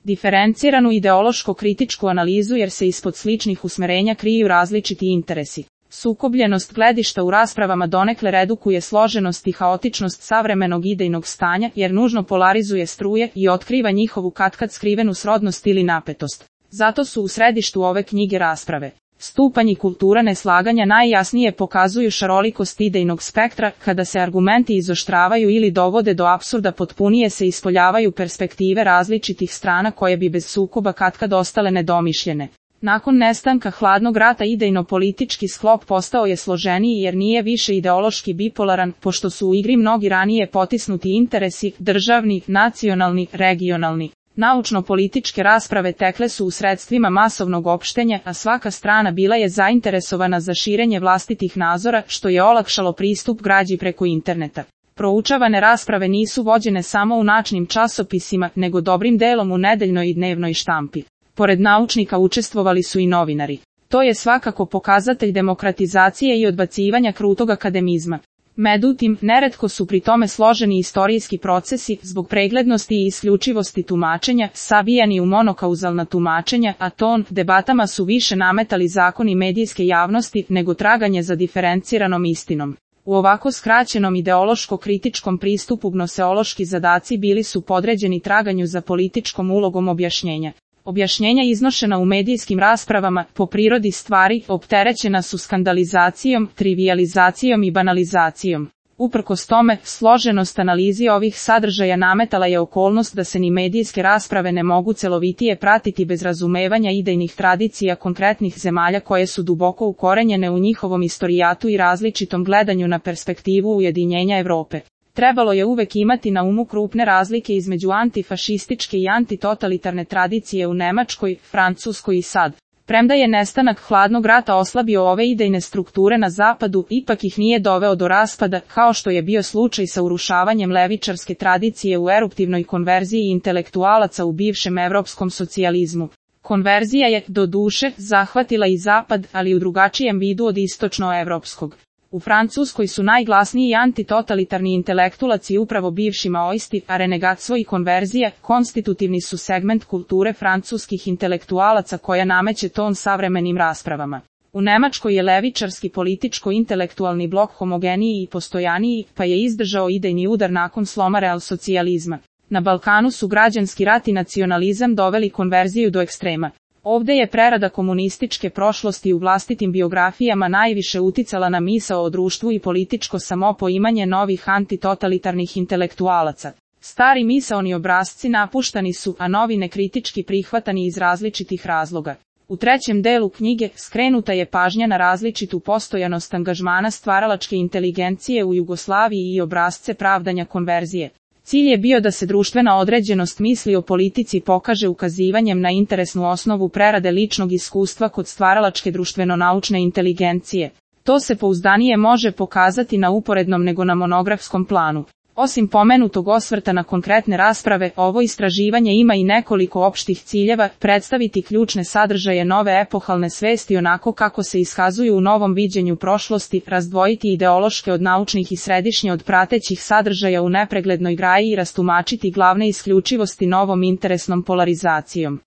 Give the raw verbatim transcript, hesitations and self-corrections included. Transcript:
diferenciranu ideološko-kritičku analizu jer se ispod sličnih usmerenja kriju različiti interesi. Sukobljenost gledišta u raspravama donekle redukuje složenost i haotičnost savremenog idejnog stanja jer nužno polarizuje struje i otkriva njihovu katkad skrivenu srodnost ili napetost. Zato su u središtu ove knjige rasprave. Stupanj i kultura neslaganja najjasnije pokazuju šarolikost idejnog spektra, kada se argumenti izoštravaju ili dovode do apsurda potpunije se ispoljavaju perspektive različitih strana koje bi bez sukoba katkad ostale nedomišljene. Nakon nestanka hladnog rata idejno-politički sklop postao je složeniji jer nije više ideološki bipolaran, pošto su u igri mnogi ranije potisnuti interesi, državni, nacionalni, regionalni. Naučno-političke rasprave tekle su u sredstvima masovnog opštenja, a svaka strana bila je zainteresovana za širenje vlastitih nazora, što je olakšalo pristup građi preko interneta. Proučavane rasprave nisu vođene samo u načnim časopisima, nego dobrim delom u nedeljnoj i dnevnoj štampi. Pored naučnika učestvovali su i novinari. To je svakako pokazatelj demokratizacije i odbacivanja krutog akademizma. Međutim, neretko su pri tome složeni istorijski procesi, zbog preglednosti i isključivosti tumačenja, savijani u monokauzalna tumačenja, a ton debatama su više nametali zakoni medijske javnosti nego traganje za diferenciranom istinom. U ovako skraćenom ideološko-kritičkom pristupu gnoseološki zadaci bili su podređeni traganju za političkom ulogom objašnjenja. Objašnjenja iznošena u medijskim raspravama, po prirodi stvari, opterećena su skandalizacijom, trivijalizacijom i banalizacijom. Uprkos tome, složenost analizi ovih sadržaja nametala je okolnost da se ni medijske rasprave ne mogu celovitije pratiti bez razumevanja idejnih tradicija konkretnih zemalja koje su duboko ukorenjene u njihovom istorijatu i različitom gledanju na perspektivu ujedinjenja Evrope. Trebalo je uvek imati na umu krupne razlike između antifašističke i antitotalitarne tradicije u Nemačkoj, Francuskoj i sad. Premda je nestanak hladnog rata oslabio ove idejne strukture na zapadu, ipak ih nije doveo do raspada, kao što je bio slučaj sa urušavanjem levičarske tradicije u eruptivnoj konverziji intelektualaca u bivšem evropskom socijalizmu. Konverzija je, do duše, zahvatila i zapad, ali u drugačijem vidu od istočnoevropskog. U Francuskoj su najglasniji antitotalitarni intelektualaci upravo bivši maoisti, a renegatstvo i konverzija konstitutivni su segment kulture francuskih intelektualaca koja nameće ton savremenim raspravama. U Nemačkoj je levičarski političko-intelektualni blok homogeniji i postojaniji, pa je izdržao idejni udar nakon sloma realsocijalizma. Na Balkanu su građanski rat i nacionalizam doveli konverziju do ekstrema. Ovde je prerada komunističke prošlosti u vlastitim biografijama najviše uticala na misao o društvu i političko samopoimanje novih antitotalitarnih intelektualaca. Stari misaoni obrasci napuštani su, a novi nekritički prihvatani iz različitih razloga. U trećem delu knjige skrenuta je pažnja na različitu postojanost angažmana stvaralačke inteligencije u Jugoslaviji i obrasce pravdanja konverzije. Cilj je bio da se društvena određenost misli o politici pokaže ukazivanjem na interesnu osnovu prerade ličnog iskustva kod stvaralačke društveno-naučne inteligencije. To se pouzdanije može pokazati na uporednom nego na monografskom planu. Osim pomenutog osvrta na konkretne rasprave, ovo istraživanje ima i nekoliko opštih ciljeva, predstaviti ključne sadržaje nove epohalne svesti onako kako se iskazuju u novom viđenju prošlosti, razdvojiti ideološke od naučnih i središnje od pratećih sadržaja u nepreglednoj graji i rastumačiti glavne isključivosti novom interesnom polarizacijom.